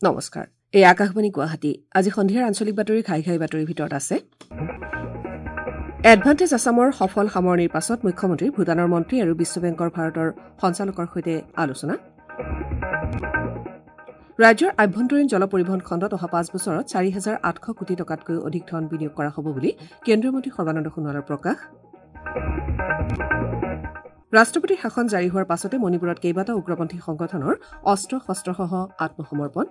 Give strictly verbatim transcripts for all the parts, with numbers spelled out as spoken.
নমস্কাৰ, এই আকাশবাণী গুৱাহাটী। আজি সন্ধিয়াৰ আঞ্চলিক বাতৰি ঘাই ঘাই বাতৰিৰ ভিতৰত আছে এডভান্টেজ আছামৰ সফল সামৰণিৰ পাছত মুখ্যমন্ত্ৰী, ভূটানৰ মন্ত্ৰী আৰু বিশ্ব বেংকৰ ভাৰতৰ সঞ্চালকৰ সৈতে আলোচনা। ৰাজ্যৰ আভ্যন্তৰীণ জল পৰিবহণ খণ্ডত অহা পাঁচ বছৰত চাৰি হাজাৰ আঠশ কোটি টকাতকৈ অধিক ধন বিনিয়োগ কৰা হ'ব বুলি কেন্দ্ৰীয় মন্ত্ৰী সৰ্বানন্দ সোণোৱালৰ প্ৰকাশ। ৰাষ্ট্ৰপতিৰ শাসন জাৰি হোৱাৰ পাছতে মণিপুৰত কেইবাটাও উগ্ৰপন্থী সংগঠনৰ অস্ত্ৰ শস্ত্ৰসহ আত্মসমৰ্পণ।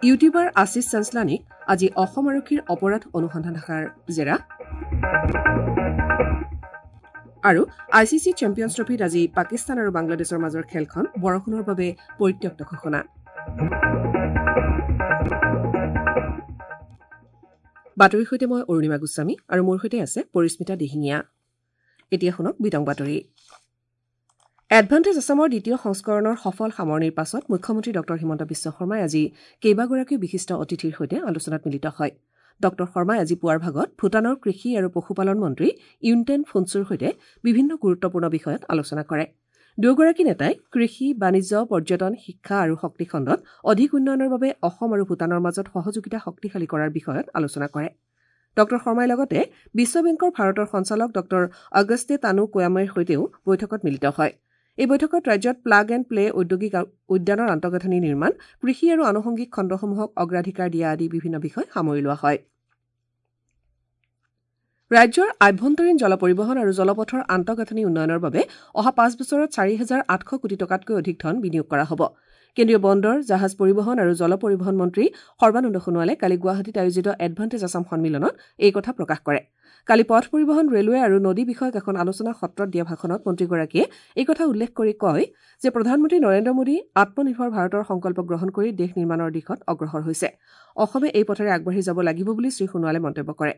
ইউটিউবাৰ আশীষ চাঞ্চলানীক আজি অসম আৰক্ষীৰ অপৰাধ অনুসন্ধান শাখাৰ জেৰা। আৰু I C C champions ট্ৰফীত আজি পাকিস্তান আৰু বাংলাদেশৰ মাজৰ খেলখন বৰষুণৰ বাবে পৰিত্যক্ত ঘোষণা। বাতৰিৰ সৈতে মই অৰুণিমা গোস্বামী আৰু মোৰ সৈতে আছে পৰিস্মিতা দিহিঙীয়া। এতিয়া শুনক বিতং বাতৰি। এডভান্টেজ আছামৰ দ্বিতীয় সংস্কৰণৰ সফল সামৰণিৰ পাছত মুখ্যমন্ত্ৰী ডঃ হিমন্ত বিশ্ব শৰ্মাই আজি কেইবাগৰাকীও বিশিষ্ট অতিথিৰ সৈতে আলোচনাত মিলিত হয়। ডঃ শৰ্মাই আজি পুৱাৰ ভাগত ভূটানৰ কৃষি আৰু পশুপালন মন্ত্ৰী ইউনটেন ফুনচুৰ সৈতে বিভিন্ন গুৰুত্বপূৰ্ণ বিষয়ত আলোচনা কৰে। দুয়োগৰাকী নেতাই কৃষি, বাণিজ্য, পৰ্যটন, শিক্ষা আৰু শক্তি খণ্ডত অধিক উন্নয়নৰ বাবে অসম আৰু ভূটানৰ মাজত সহযোগিতা শক্তিশালী কৰাৰ বিষয়ত আলোচনা কৰে। ডঃ শৰ্মাই লগতে বিশ্ব বেংকৰ ভাৰতৰ সঞ্চালক ডঃ অগষ্টে তানু কোয়ামেৰ সৈতেও বৈঠকত মিলিত হয়। এই বৈঠকত ৰাজ্যত প্লাগ এণ্ড প্লে ঔদ্যোগিক উদ্যানৰ আন্তঃগাঁথনি নিৰ্মাণ, কৃষি আৰু আনুষংগিক খণ্ডসমূহক অগ্ৰাধিকাৰ দিয়া আদি বিভিন্ন বিষয় সামৰি লোৱা হয়। ৰাজ্যৰ আভ্যন্তৰীণ জল পৰিবহণ আৰু জলপথৰ আন্তঃগাঁথনি উন্নয়নৰ বাবে অহা পাঁচ বছৰত চাৰি হাজাৰ আঠশ কোটি টকাতকৈ অধিক ধন বিনিয়োগ কৰা হ'ব। কেন্দ্ৰীয় বন্দৰ, জাহাজ পৰিবহণ আৰু জল পৰিবহণ মন্ত্ৰী সৰ্বানন্দ সোণোৱালে কালি গুৱাহাটীত আয়োজিত এডভান্টেজ আছাম সন্মিলনত এই কথা প্ৰকাশ কৰে। কালি পথ পৰিবহণ, ৰেলৱে আৰু নদী বিষয়ক এখন আলোচনা সত্ৰত দিয়া ভাষণত মন্ত্ৰীগৰাকীয়ে এই কথা উল্লেখ কৰি কয় যে প্ৰধানমন্ত্ৰী নৰেন্দ্ৰ মোদী আত্মনিৰ্ভৰ ভাৰতৰ সংকল্প গ্ৰহণ কৰি দেশ নিৰ্মাণৰ দিশত অগ্ৰসৰ হৈছে। অসমে এই পথেৰে আগবাঢ়ি যাব লাগিব বুলি শ্ৰীসোণোৱালে মন্তব্য কৰে।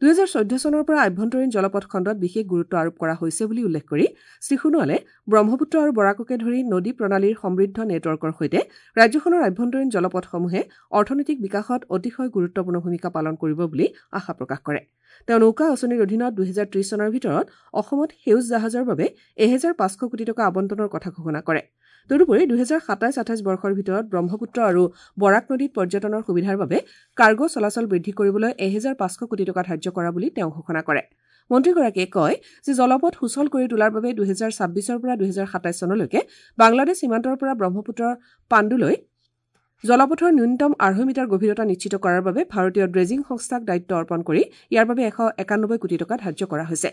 দুহেজাৰ চৈধ্য চনৰ পৰা আভ্যন্তৰীণ জলপথ খণ্ডত বিশেষ গুৰুত্ব আৰোপ কৰা হৈছে বুলি উল্লেখ কৰি শ্ৰীসোণোৱালে ব্ৰহ্মপুত্ৰ আৰু বৰাককে ধৰি নদী প্ৰণালীৰ সমৃদ্ধ নেটৱৰ্কৰ সৈতে ৰাজ্যখনৰ আভ্যন্তৰীণ জলপথসমূহে অৰ্থনৈতিক বিকাশত অতিশয় গুৰুত্বপূৰ্ণ ভূমিকা পালন কৰিব বুলি আশা প্ৰকাশ কৰে। তেওঁ নৌকা আঁচনিৰ অধীনত দুহেজাৰ ত্ৰিশ চনৰ ভিতৰত অসমত সেউজ জাহাজৰ বাবে এহেজাৰ পাঁচশ কোটি টকা আবণ্টনৰ কথা ঘোষণা কৰে। তদুপৰি দুহেজাৰ সাতাইছ আঠাইছ বৰ্ষৰ ভিতৰত ব্ৰহ্মপুত্ৰ আৰু বৰাক নদীত পৰ্যটনৰ সুবিধাৰ বাবে কাৰ্গো চলাচল বৃদ্ধি কৰিবলৈ এহেজাৰ পাঁচশ কোটি টকা ধাৰ্য কৰা বুলি তেওঁ ঘোষণা কৰে। মন্ত্ৰীগৰাকীয়ে কয় যে জলপথ সুচল কৰি তোলাৰ বাবে দুহেজাৰ ছাব্বিছৰ পৰা দুহেজাৰ সাতাইছ চনলৈকে বাংলাদেশ সীমান্তৰ পৰা ব্ৰহ্মপুত্ৰৰ পাণ্ডুলৈ জলপথৰ ন্যূনতম আঢ়ৈ মিটাৰ গভীৰতা নিশ্চিত কৰাৰ বাবে ভাৰতীয় ড্ৰেজিং সংস্থাক দায়িত্ব অৰ্পণ কৰি ইয়াৰ বাবে এশ একানব্বৈ কোটি টকা ধাৰ্য কৰা হৈছে।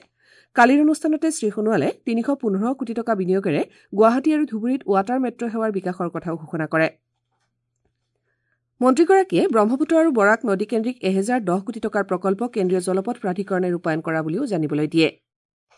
কালিৰ অনুষ্ঠানতে শ্ৰীসোণোৱালে তিনিশ পোন্ধৰ কোটি টকা বিনিয়োগেৰে গুৱাহাটী আৰু ধুবুৰীত ৱাটাৰ মেট্ৰ' সেৱাৰ বিকাশৰ কথাও ঘোষণা কৰে। মন্ত্ৰীগৰাকীয়ে ব্ৰহ্মপুত্ৰ আৰু বৰাক নদীকেন্দ্ৰিক এহেজাৰ দহ কোটি টকাৰ প্ৰকল্প কেন্দ্ৰীয় জলপথ প্ৰাধিকৰণে ৰূপায়ণ কৰা বুলিও জানিবলৈ দিয়ে।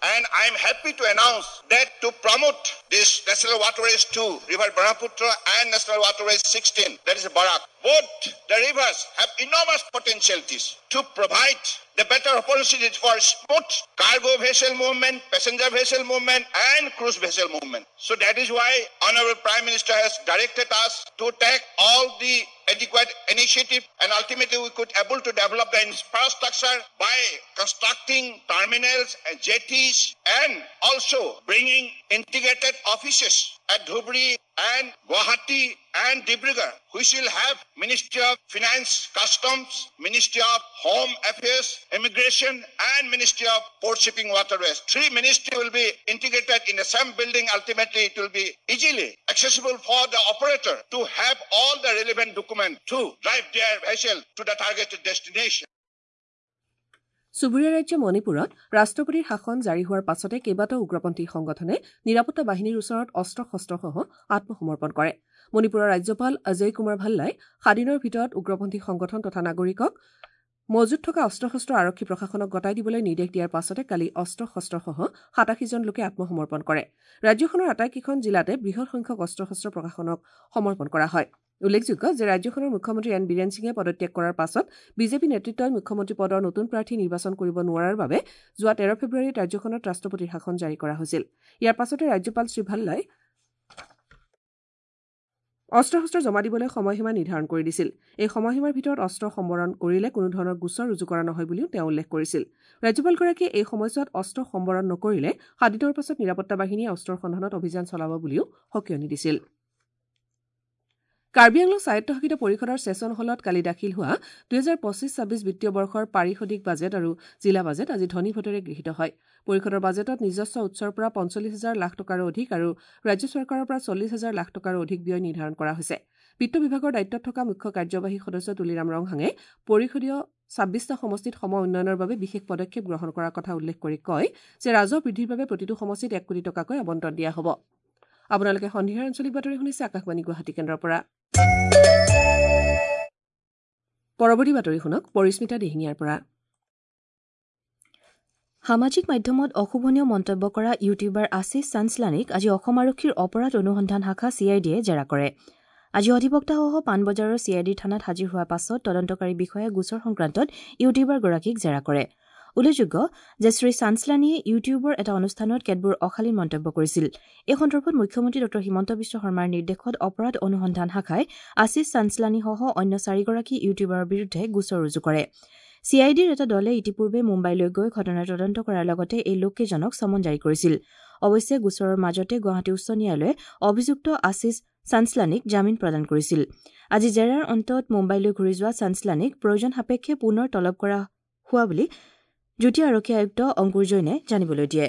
And I am happy to announce that to promote this National Waterways two, River Brahmaputra and National Waterways sixteen, that is Barak, both the rivers have enormous potentialities to provide the better opportunities for smooth cargo vessel movement, passenger vessel movement and cruise vessel movement. So that is why Honorable Prime Minister has directed us to take all the adequate initiative, and ultimately we could able to develop the infrastructure by constructing terminals and jetties and also bringing integrated offices at Dhubri and Guwahati and Dibrugarh, which will have Ministry of Finance, Customs, Ministry of Home Affairs, Immigration and Ministry of Port Shipping Waterways. Three ministry will be integrated in the same building. Ultimately, it will be easily accessible for the operator to have all the relevant documents to drive their vessel to the targeted destination. চুবুৰীয়া ৰাজ্য মণিপুৰত ৰাষ্ট্ৰপতিৰ শাসন জাৰি হোৱাৰ পাছতে কেইবাটাও উগ্ৰপন্থী সংগঠনে নিৰাপত্তা বাহিনীৰ ওচৰত অস্ত্ৰ শস্ত্ৰসহ আত্মসমৰ্পণ কৰে। মণিপুৰৰ ৰাজ্যপাল অজয় কুমাৰ ভাল্লাই সাদিনৰ ভিতৰত উগ্ৰপন্থী সংগঠন তথা নাগৰিকক মজুত থকা অস্ত্ৰ শস্ত্ৰ আৰক্ষী প্ৰশাসনক গতাই দিবলৈ নিৰ্দেশ দিয়াৰ পাছতে কালি অস্ত্ৰ শস্ত্ৰসহ সাতাশীজন লোকে আত্মসমৰ্পণ কৰে। ৰাজ্যখনৰ আটাইকেইখন জিলাতে বৃহৎ সংখ্যক অস্ত্ৰ শস্ত্ৰ প্ৰশাসনক সমৰ্পণ কৰা হয়। উল্লেখযোগ্য যে ৰাজ্যখনৰ মুখ্যমন্ত্ৰী এন বীৰেন সিঙে পদত্যাগ কৰাৰ পাছত বিজেপি নেতৃত্বই মুখ্যমন্ত্ৰী পদৰ নতুন প্ৰাৰ্থী নিৰ্বাচন কৰিব নোৱাৰাৰ বাবে যোৱা তেৰ ফেব্ৰুৱাৰীত ৰাজ্যখনত ৰাষ্ট্ৰপতিৰ শাসন জাৰি কৰা হৈছিল। ইয়াৰ পাছতে ৰাজ্যপাল শ্ৰীভাল্লাই অস্ত্ৰ শস্ত্ৰ জমা দিবলৈ সময়সীমা নিৰ্ধাৰণ কৰি দিছিল। এই সময়সীমাৰ ভিতৰত অস্ত্ৰ সম্বৰণ কৰিলে কোনো ধৰণৰ গোচৰ ৰুজু কৰা নহয় বুলিও তেওঁ উল্লেখ কৰিছিল। ৰাজ্যপালগৰাকীয়ে এই সময়ছোৱাত অস্ত্ৰ সম্বৰণ নকৰিলে সাত দিনৰ পাছত নিৰাপত্তা বাহিনীয়ে অস্ত্ৰৰ সন্ধানত অভিযান চলাব বুলিও সকীয়নি দিছিল। কাৰ্বি আংলং স্বায়ত্তশাসিত পৰিষদৰ ছেছন হলত কালি দাখিল হোৱা দুহেজাৰ পঁচিছ ছাব্বিছ বিত্তীয় বৰ্ষৰ পাৰিষদিক বাজেট আৰু জিলা বাজেট আজি ধ্বনি ভোটেৰে গৃহীত হয়। পৰিষদৰ বাজেটত নিজস্ব উৎসৰ পৰা পঞ্চল্লিছ হাজাৰ লাখ টকাৰো অধিক আৰু ৰাজ্য চৰকাৰৰ পৰা চল্লিছ হাজাৰ লাখ টকাৰো অধিক ব্যয় নিৰ্ধাৰণ কৰা হৈছে। বিত্ত বিভাগৰ দায়িত্বত থকা মুখ্য কাৰ্যবাহী সদস্য তুলিৰাম ৰংহাঙে পৰিষদীয় ছাব্বিছটা সমষ্টিত সম উন্নয়নৰ বাবে বিশেষ পদক্ষেপ গ্ৰহণ কৰাৰ কথা উল্লেখ কৰি কয় যে ৰাজহ বৃদ্ধিৰ বাবে প্ৰতিটো সমষ্টিত এক কোটি টকাকৈ আবণ্টন দিয়া হ'ব। আপোনালোকে সন্ধিয়াৰ আঞ্চলিক বাতৰি শুনিছে আকাশবাণী গুৱাহাটী কেন্দ্ৰৰ পৰা। পৰৱৰ্তী বাতৰি শুনক পৰিস্মিতা দিহিঙীয়াৰ পৰা। সামাজিক মাধ্যমত অশোভনীয় মন্তব্য কৰা ইউটিউবাৰ আশীষ চাঞ্চলানীক আজি অসম আৰক্ষীৰ অপৰাধ অনুসন্ধান শাখা চি I ডিয়ে জেৰা কৰে। আজি অধিবক্তাসহ পাণবজাৰৰ চি I D থানাত হাজিৰ হোৱাৰ পাছত তদন্তকাৰী বিষয়াই গোচৰ সংক্ৰান্তত ইউটিউবাৰগৰাকীক জেৰা কৰে। উল্লেখযোগ্য যে শ্ৰী চাঞ্চলানীয়ে ইউটিউবৰ এটা অনুষ্ঠানত কেতবোৰ অশালীন মন্তব্য কৰিছিল। এই সন্দৰ্ভত মুখ্যমন্ত্ৰী ডঃ হিমন্ত বিশ্ব শৰ্মাৰ নিৰ্দেশত অপৰাধ অনুসন্ধান শাখাই আশীষ চাঞ্চলানীসহ অন্য চাৰিগৰাকী ইউটিউবাৰৰ বিৰুদ্ধে গোচৰ ৰুজু কৰে। চি I ডিৰ এটা দলে ইতিপূৰ্বে মুম্বাইলৈ গৈ ঘটনাৰ তদন্ত কৰাৰ লগতে এই লোককেইজনক চমন জাৰি কৰিছিল। অৱশ্যে গোচৰৰ মাজতে গুৱাহাটী উচ্চ ন্যায়ালয়ে অভিযুক্ত আশীষ চাঞ্চলানীক জামিন প্ৰদান কৰিছিল। আজি জেৰাৰ অন্তত মুম্বাইলৈ ঘূৰি যোৱা চাঞ্চলানীক প্ৰয়োজন সাপেক্ষে পুনৰ তলব কৰা হোৱা বুলি যুটীয়া আৰক্ষী আয়ুক্ত অংকুৰ জৈনে জানিবলৈ দিয়ে।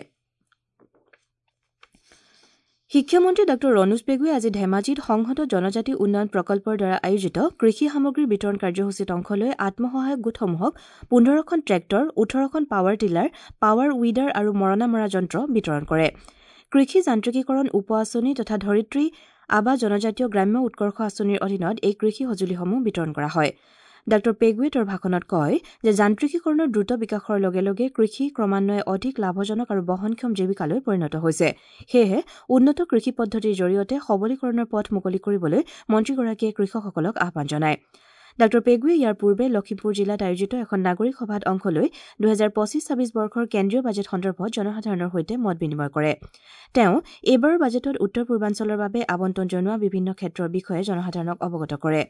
শিক্ষামন্ত্ৰী ডাঃ ৰণোজ পেগুৱে আজি ধেমাজিত সংহত জনজাতি উন্নয়ন প্ৰকল্পৰ দ্বাৰা আয়োজিত কৃষি সামগ্ৰী বিতৰণ কাৰ্যসূচীত অংশ লৈ আত্মসহায়ক গোটসমূহক পোন্ধৰখন ট্ৰেক্টৰ, ওঠৰখন পাৱাৰ টিলাৰ, পাৱাৰ উইডাৰ আৰু মৰণা মৰা যন্ত্ৰ বিতৰণ কৰে। কৃষি যান্ত্ৰিকীকৰণ উপ আঁচনি তথা ধৰিত্ৰী আবা জনজাতীয় গ্ৰাম্য উৎকৰ্ষ আঁচনিৰ অধীনত এই কৃষি সঁজুলিসমূহ বিতৰণ কৰা হয়। ডাঃ পেগুৱে তেওঁৰ ভাষণত কয় যে যান্ত্ৰিকীকৰণৰ দ্ৰুত বিকাশৰ লগে লগে কৃষি ক্ৰমান্বয়ে অধিক লাভজনক আৰু বহনক্ষম জীৱিকালৈ পৰিণত হৈছে। সেয়েহে উন্নত কৃষি পদ্ধতিৰ জৰিয়তে সবলীকৰণৰ পথ মুকলি কৰিবলৈ মন্ত্ৰীগৰাকীয়ে কৃষকসকলক আহ্বান জনায়। ডাঃ পেগুৱে ইয়াৰ পূৰ্বে লখিমপুৰ জিলাত আয়োজিত এখন নাগৰিক সভাত অংশ লৈ দুহেজাৰ পঁচিছ ছাব্বিছ বৰ্ষৰ কেন্দ্ৰীয় বাজেট সন্দৰ্ভত জনসাধাৰণৰ সৈতে মত বিনিময় কৰে। তেওঁ এইবাৰৰ বাজেটত উত্তৰ পূৰ্বাঞ্চলৰ বাবে আবণ্টন জনোৱা বিভিন্ন ক্ষেত্ৰৰ বিষয়ে জনসাধাৰণক অৱগত কৰে।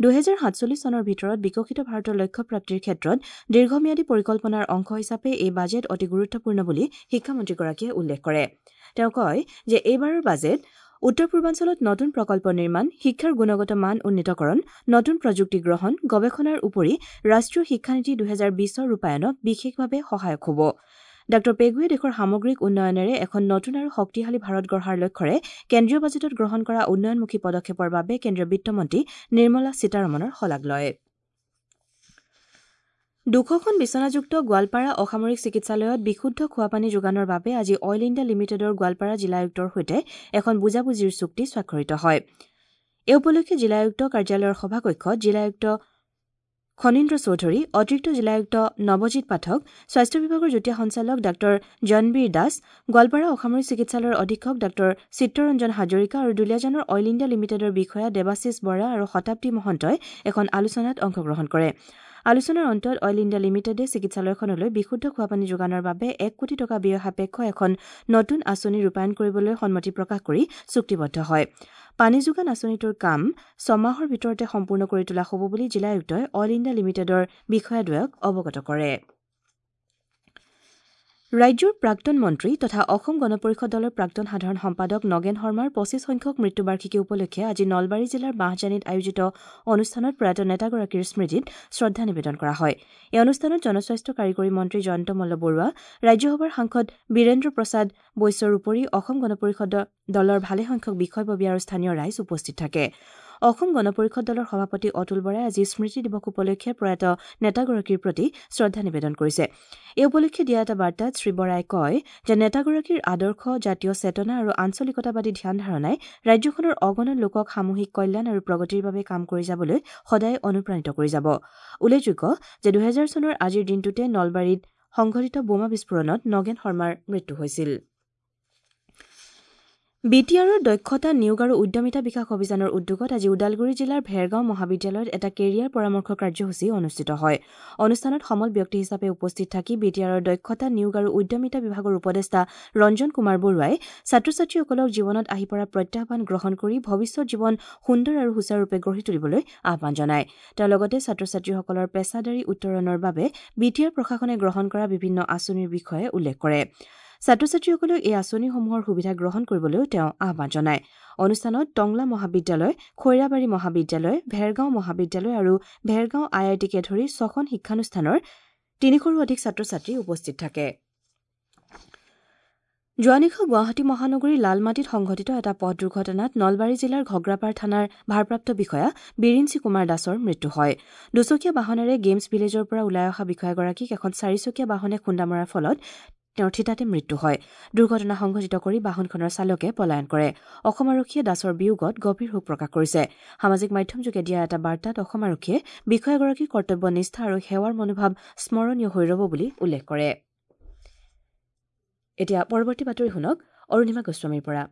দুহেজাৰ সাতচল্লিছ চনৰ ভিতৰত বিকশিত ভাৰতৰ লক্ষ্যপ্ৰাপ্তিৰ ক্ষেত্ৰত দীৰ্ঘম্যাদী পৰিকল্পনাৰ অংশ হিচাপে এই বাজেট অতি গুৰুত্বপূৰ্ণ বুলি শিক্ষামন্ত্ৰীগৰাকীয়ে উল্লেখ কৰে। তেওঁ কয় যে এইবাৰৰ বাজেট উত্তৰ পূৰ্বাঞ্চলত নতুন প্ৰকল্প নিৰ্মাণ, শিক্ষাৰ গুণগত মান উন্নীতকৰণ, নতুন প্ৰযুক্তি গ্ৰহণ, গৱেষণাৰ উপৰি ৰাষ্ট্ৰীয় শিক্ষানীতি দুহেজাৰ বিছৰ ৰূপায়ণত বিশেষভাৱে সহায়ক হ'ব। ডাঃ পেগুৱে দেশৰ সামগ্ৰিক উন্নয়নেৰে এখন নতুন আৰু শক্তিশালী ভাৰত গঢ়াৰ লক্ষ্যৰে কেন্দ্ৰীয় বাজেটত গ্ৰহণ কৰা উন্নয়নমুখী পদক্ষেপৰ বাবে কেন্দ্ৰীয় বিত্তমন্ত্ৰী নিৰ্মলা সীতাৰমণৰ শলাগ লয়। দুশখন বিচনাযুক্ত গোৱালপাৰা অসামৰিক চিকিৎসালয়ত বিশুদ্ধ খোৱাপানী যোগানৰ বাবে আজি অইল ইণ্ডিয়া লিমিটেডৰ গোৱালপাৰা জিলা আয়ুক্তৰ সৈতে এখন বুজাবুজিৰ চুক্তি স্বাক্ষৰিত হয়। এই উপলক্ষে জিলা আয়ুক্ত কাৰ্যালয়ৰ সভাকক্ষত জিলা আয়ুক্ত খনীন্দ্ৰ চৌধুৰী, অতিৰিক্ত জিলা আয়ুক্ত নৱজিৎ পাঠক, স্বাস্থ্য বিভাগৰ যুটীয়া সঞ্চালক ডাঃ জনবীৰ দাস, গোৱালপাৰা অসামৰিক চিকিৎসালয়ৰ অধীক্ষক ডাঃ চিত্তৰঞ্জন হাজৰিকা আৰু দুলীয়াজানৰ অইল ইণ্ডিয়া লিমিটেডৰ বিষয়া দেৱাশীষ বৰা আৰু শতাব্দী মহন্তই এখন আলোচনাত অংশগ্ৰহণ কৰে। আলোচনাৰ অন্তত অইল ইণ্ডিয়া লিমিটেডে চিকিৎসালয়খনলৈ বিশুদ্ধ খোৱাপানী যোগানৰ বাবে এক কোটি টকা ব্যয় সাপেক্ষ এখন নতুন আঁচনি ৰূপায়ণ কৰিবলৈ সন্মতি প্ৰকাশ কৰি চুক্তিবদ্ধ হয়। পানী যোগান আঁচনিটোৰ কাম ছমাহৰ ভিতৰতে সম্পূৰ্ণ কৰি তোলা হ'ব বুলি জিলা আয়ুক্তই অইল ইণ্ডিয়া লিমিটেডৰ বিষয়াদ্বয়ক অৱগত কৰে। ৰাজ্যৰ প্ৰাক্তন মন্ত্ৰী তথা অসম গণ পৰিষদ দলৰ প্ৰাক্তন সাধাৰণ সম্পাদক নগেন শৰ্মাৰ পঁচিছ সংখ্যক মৃত্যুবাৰ্ষিকী উপলক্ষে আজি নলবাৰী জিলাৰ বাঁহজানীত আয়োজিত অনুষ্ঠানত প্ৰয়াত নেতাগৰাকীৰ স্মৃতিত শ্ৰদ্ধা নিবেদন কৰা হয়। এই অনুষ্ঠানত জনস্বাস্থ্য কাৰিকৰী মন্ত্ৰী জয়ন্ত মল্ল বৰুৱা, ৰাজ্যসভাৰ সাংসদ বীৰেন্দ্ৰ প্ৰসাদ বৈশ্যৰ উপৰি অসম গণ পৰিষদ দলৰ ভালেসংখ্যক বিষয়ববীয়া আৰু স্থানীয় ৰাইজ উপস্থিত থাকে। অসম গণ পৰিষদ দলৰ সভাপতি অতুল বৰাই আজি স্মৃতি দিৱস উপলক্ষে প্ৰয়াত নেতাগৰাকীৰ প্ৰতি শ্ৰদ্ধা নিবেদন কৰিছে। এই উপলক্ষে দিয়া এটা বাৰ্তাত শ্ৰী বৰাই কয় যে নেতাগৰাকীৰ আদৰ্শ, জাতীয় চেতনা আৰু আঞ্চলিকতাবাদী ধ্যান ধাৰণাই ৰাজ্যখনৰ অগণন লোকক সামূহিক কল্যাণ আৰু প্ৰগতিৰ বাবে কাম কৰি যাবলৈ সদায় অনুপ্ৰাণিত কৰি যাব। উল্লেখযোগ্য যে দুহেজাৰ চনৰ আজিৰ দিনটোতে নলবাৰীত সংঘটিত বোমা বিস্ফোৰণত নগেন শৰ্মাৰ মৃত্যু হৈছিল। বি টি আৰৰ দক্ষতা নিয়োগ আৰু উদ্যমিতা বিকাশ অভিযানৰ উদ্যোগত আজি ওদালগুৰি জিলাৰ ভেৰগাঁও মহাবিদ্যালয়ত এটা কেৰিয়াৰ পৰামৰ্শ কাৰ্যসূচী অনুষ্ঠিত হয়। অনুষ্ঠানত সমল ব্যক্তি হিচাপে উপস্থিত থাকি বি টি আৰৰ দক্ষতা নিয়োগ আৰু উদ্যমিতা বিভাগৰ উপদেষ্টা ৰঞ্জন কুমাৰ বৰুৱাই ছাত্ৰ ছাত্ৰীসকলক জীৱনত আহি পৰা প্ৰত্যাহ্বান গ্ৰহণ কৰি ভৱিষ্যত জীৱন সুন্দৰ আৰু সুচাৰুৰূপে গঢ়ি তুলিবলৈ আহ্বান জনায়। তেওঁ লগতে ছাত্ৰ ছাত্ৰীসকলৰ পেছাদাৰী উত্তৰণৰ বাবে বি টি আৰ প্ৰশাসনে গ্ৰহণ কৰা বিভিন্ন আঁচনিৰ বিষয়ে উল্লেখ কৰে। ছাত্ৰ ছাত্ৰীসকলক এই আঁচনিসমূহৰ সুবিধা গ্ৰহণ কৰিবলৈও তেওঁ আহ্বান জনায়। অনুষ্ঠানত টংলা মহাবিদ্যালয়, খৈৰাবাৰী মহাবিদ্যালয়, ভেৰগাঁও মহাবিদ্যালয় আৰু ভেৰগাঁও আই আই টিকে ধৰি ছখন শিক্ষানুষ্ঠানৰ তিনিশৰো অধিক ছাত্ৰ ছাত্ৰী উপস্থিত থাকে। যোৱা নিশা গুৱাহাটী মহানগৰীৰ লালমাটিত সংঘটিত এটা পথ দুৰ্ঘটনাত নলবাৰী জিলাৰ ঘগ্ৰাপাৰ থানাৰ ভাৰপ্ৰাপ্ত বিষয়া বিৰিঞ্চি কুমাৰ দাসৰ মৃত্যু হয়। দুচকীয়া বাহনেৰে গেমছ ভিলেজৰ পৰা ওলাই অহা বিষয়াগৰাকীক এখন চাৰিচকীয়া বাহনে খুন্দা মৰাৰ ফলত তেওঁৰ থিতাতে মৃত্যু হয়। দুৰ্ঘটনা সংঘটিত কৰি বাহনখনৰ চালকে পলায়ন কৰে। অসম আৰক্ষীয়ে দাসৰ বিয়োগত গভীৰ শোক প্ৰকাশ কৰিছে। সামাজিক মাধ্যমযোগে দিয়া এটা বাৰ্তাত অসম আৰক্ষীয়ে বিষয়াগৰাকীৰ কৰ্তব্য নিষ্ঠা আৰু সেৱাৰ মনোভাৱ স্মৰণীয় হৈ ৰ'ব বুলি উল্লেখ কৰে। এতিয়া পৰৱৰ্তী বাতৰি শুনক অৰুণিমা গোস্বামীৰ পৰা।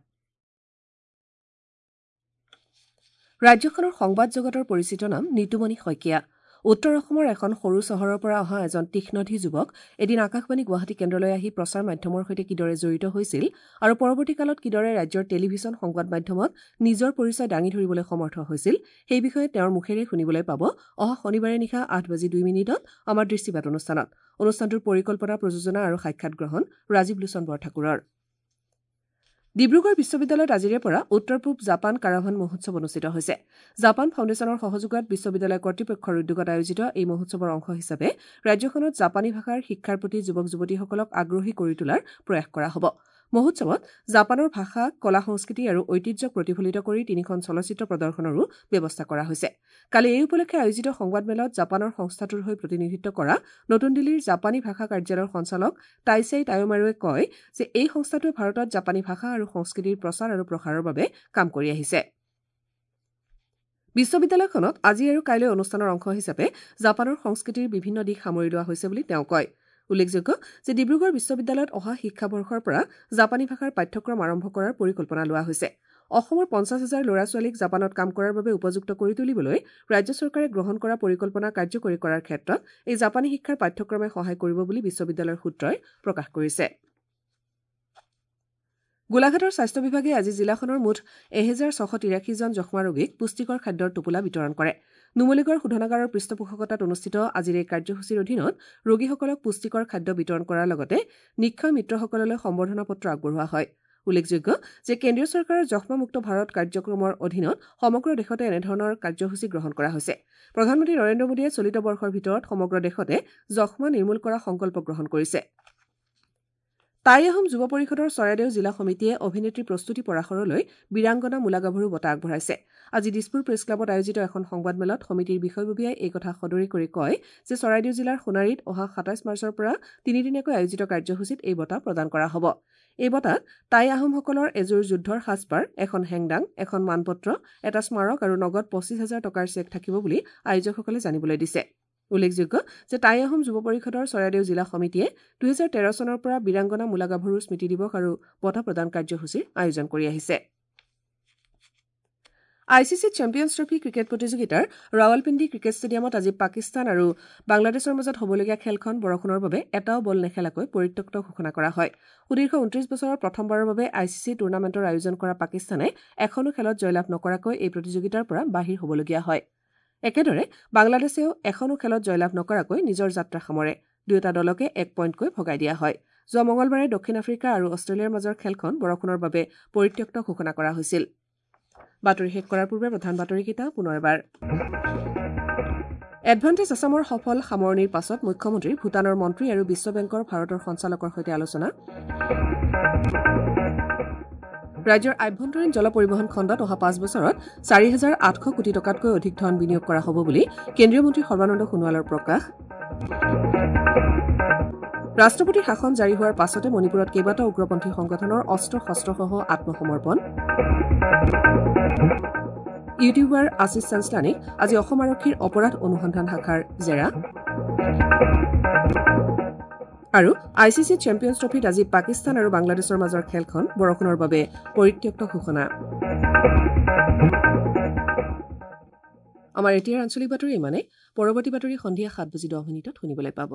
ৰাজ্যখনৰ সংবাদ জগতৰ পৰিচিত নাম নিতুমণি শইকীয়া। উত্তৰ অসমৰ এখন সৰু চহৰৰ পৰা অহা এজন তীক্ষ্ণধী যুৱক এদিন আকাশবাণী গুৱাহাটী কেন্দ্ৰলৈ আহি প্ৰচাৰ মাধ্যমৰ সৈতে কিদৰে জড়িত হৈছিল আৰু পৰৱৰ্তী কালত কিদৰে ৰাজ্যৰ টেলিভিছন সংবাদ মাধ্যমত নিজৰ পৰিচয় দাঙি ধৰিবলৈ সমৰ্থ হৈছিল সেই বিষয়ে তেওঁৰ মুখেৰে শুনিবলৈ পাব অহা শনিবাৰে নিশা আঠ বাজি দুই মিনিটত আমাৰ দৃষ্টিপাত অনুষ্ঠানত। অনুষ্ঠানটোৰ পৰিকল্পনা, প্ৰযোজনা আৰু সাক্ষাৎ গ্ৰহণ ৰাজীৱ লোচন বৰঠাকুৰৰ। ডিব্ৰুগড় বিশ্ববিদ্যালয়ত আজিৰে পৰা উত্তৰ পূব জাপান কাৰাভান মহোৎসৱ অনুষ্ঠিত হৈছে। জাপান ফাউণ্ডেশ্যনৰ সহযোগত বিশ্ববিদ্যালয় কৰ্তৃপক্ষৰ উদ্যোগত আয়োজিত এই মহোৎসৱৰ অংশ হিচাপে ৰাজ্যখনত জাপানী ভাষাৰ শিক্ষাৰ প্ৰতি যুৱক যুৱতীসকলক আগ্ৰহী কৰি তোলাৰ প্ৰয়াস কৰা হ'ব। মহোৎসৱত জাপানৰ ভাষা, কলা সংস্কৃতি আৰু ঐতিহ্যক প্ৰতিফলিত কৰি তিনিখন চলচ্চিত্ৰ প্ৰদৰ্শনৰো ব্যৱস্থা কৰা হৈছে। কালি এই উপলক্ষে আয়োজিত সংবাদমেলত জাপানৰ সংস্থাটোৰ হৈ প্ৰতিনিধিত্ব কৰা নতুন দিল্লীৰ জাপানী ভাষা কাৰ্যালয়ৰ সঞ্চালক টাইছেই টায়োমাৰুৱে কয় যে এই সংস্থাটোৱে ভাৰতত জাপানী ভাষা আৰু সংস্কৃতিৰ প্ৰচাৰ আৰু প্ৰসাৰৰ বাবে কাম কৰি আহিছে। বিশ্ববিদ্যালয়খনত আজি আৰু কাইলৈ অনুষ্ঠানৰ অংশ হিচাপে জাপানৰ সংস্কৃতিৰ বিভিন্ন দিশ সামৰি লোৱা হৈছে বুলি তেওঁ কয়। উল্লেখযোগ্য যে ডিব্ৰুগড় বিশ্ববিদ্যালয়ত অহা শিক্ষাবৰ্ষৰ পৰা জাপানী ভাষাৰ পাঠ্যক্ৰম আৰম্ভ কৰাৰ পৰিকল্পনা লোৱা হৈছে। অসমৰ পঞ্চাছ হাজাৰ ল'ৰা ছোৱালীক জাপানত কাম কৰাৰ বাবে উপযুক্ত কৰি তুলিবলৈ ৰাজ্য চৰকাৰে গ্ৰহণ কৰা পৰিকল্পনা কাৰ্যকৰী কৰাৰ ক্ষেত্ৰত এই জাপানী শিক্ষাৰ পাঠ্যক্ৰমে সহায় কৰিব বুলি বিশ্ববিদ্যালয়ৰ সূত্ৰই প্ৰকাশ কৰিছে। গোলাঘাটৰ স্বাস্থ্য বিভাগে আজি জিলাখনৰ মুঠ এহেজাৰ ছশ তিৰাশীজন যক্ষ্মা ৰোগীক পুষ্টিকৰ খাদ্যৰ টোপোলা বিতৰণ কৰে। নুমলীগড় শোধনাগাৰৰ পৃষ্ঠপোষকতাত অনুষ্ঠিত আজিৰ এই কাৰ্যসূচীৰ অধীনত ৰোগীসকলক পুষ্টিকৰ খাদ্য বিতৰণ কৰাৰ লগতে নিক্ষয় মিত্ৰসকললৈ সম্বৰ্ধনা পত্ৰ আগবঢ়োৱা হয়। উল্লেখযোগ্য যে কেন্দ্ৰীয় চৰকাৰৰ যক্ষ্মামুক্ত ভাৰত কাৰ্যক্ৰমৰ অধীনত সমগ্ৰ দেশতে এনেধৰণৰ কাৰ্যসূচী গ্ৰহণ কৰা হৈছে। প্ৰধানমন্ত্ৰী নৰেন্দ্ৰ মোদীয়ে চলিত বৰ্ষৰ ভিতৰত সমগ্ৰ দেশতে যক্ষ্মা নিৰ্মূল কৰা সংকল্প গ্ৰহণ কৰিছে। টাই আহোম যুৱ পৰিষদৰ চৰাইদেউ জিলা সমিতিয়ে অভিনেত্ৰী প্ৰস্তুতি পৰাশৰলৈ বীৰাংগনা মূলাগাভৰু বঁটা আগবঢ়াইছে। আজি দিছপুৰ প্ৰেছ ক্লাবত আয়োজিত এখন সংবাদমেলত সমিতিৰ বিষয়ববীয়াই এই কথা সদৰি কৰি কয় যে চৰাইদেউ জিলাৰ সোণাৰীত অহা সাতাইছ মাৰ্চৰ পৰা তিনিদিনীয়াকৈ আয়োজিত কাৰ্যসূচীত এই বঁটা প্ৰদান কৰা হ'ব। এই বঁটাত টাই আহোমসকলৰ এযোৰ যুদ্ধৰ সাজপাৰ, এখন হেংদাং, এখন মানপত্ৰ, এটা স্মাৰক আৰু নগদ পঁচিছ হাজাৰ টকাৰ চেক থাকিব বুলি আয়োজকসকলে জানিবলৈ দিছে। উল্লেখযোগ্য যে টাই আহোম যুৱ পৰিষদৰ চৰাইদেউ জিলা সমিতিয়ে দুহেজাৰ তেৰ চনৰ পৰা বীৰাংগনা মূলাগাভৰু স্মৃতি দিৱস আৰু বঁটা প্ৰদান কাৰ্যসূচীৰ আয়োজন কৰি আহিছে। I C C champions trophy cricket প্ৰতিযোগিতাৰ ৰাৱালপিণ্ডি ক্ৰিকেট ষ্টেডিয়ামত আজি পাকিস্তান আৰু বাংলাদেশৰ মাজত হ'বলগীয়া খেলখন বৰষুণৰ বাবে এটাও বল নেখেলাকৈ পৰিত্যক্ত ঘোষণা কৰা হয়। সুদীৰ্ঘ ঊনত্ৰিশ বছৰৰ প্ৰথমবাৰৰ বাবে I C C টুৰ্ণামেণ্টৰ আয়োজন কৰা পাকিস্তানে এখনো খেলত জয়লাভ নকৰাকৈ এই প্ৰতিযোগিতাৰ পৰা বাহিৰ হ'বলগীয়া হয়। একেদৰে বাংলাদেশেও এখনো খেলত জয়লাভ নকৰাকৈ নিজৰ যাত্ৰা সামৰে। দুয়োটা দলকে এক পইণ্টকৈ ভগাই দিয়া হয়। যোৱা মঙলবাৰে দক্ষিণ আফ্ৰিকা আৰু অষ্ট্ৰেলিয়াৰ মাজৰ খেলখন বৰষুণৰ বাবে পৰিত্যক্ত ঘোষণা কৰা হৈছিল। বাতৰি শেষ কৰাৰ পূৰ্বে প্ৰধান বাতৰিকেইটা পুনৰ এবাৰ। এডভান্টেজ আছামৰ সফল সামৰণিৰ পাছত মুখ্যমন্ত্ৰী, ভূটানৰ মন্ত্ৰী আৰু বিশ্ব বেংকৰ ভাৰতৰ সঞ্চালকৰ সৈতে আলোচনা। ৰাজ্যৰ আভ্যন্তৰীণ জল পৰিবহণ খণ্ডত অহা পাঁচ বছৰত চাৰি হাজাৰ আঠশ কোটি টকাতকৈ অধিক ধন বিনিয়োগ কৰা হ'ব বুলি কেন্দ্ৰীয় মন্ত্ৰী সৰ্বানন্দ সোণোৱালৰ প্ৰকাশ। ৰাষ্ট্ৰপতিৰ শাসন জাৰি হোৱাৰ পাছতে মণিপুৰত কেইবাটাও উগ্ৰপন্থী সংগঠনৰ অস্ত্ৰ শস্ত্ৰসহ আত্মসমৰ্পণ। ইউটিউবাৰ আশীষ চাঞ্চলানীক আজি অসম আৰক্ষীৰ অপৰাধ অনুসন্ধান শাখাৰ জেৰা। আৰু I C C champions ট্ৰফীত আজি পাকিস্তান আৰু বাংলাদেশৰ মাজৰ খেলখন বৰষুণৰ বাবে পৰিত্যক্ত ঘোষণা। আমাৰ এতিয়াৰ আঞ্চলিক বাতৰি ইমানে। পৰৱৰ্তী বাতৰি সন্ধিয়া সাত বাজি দহ মিনিটত শুনিবলৈ পাব।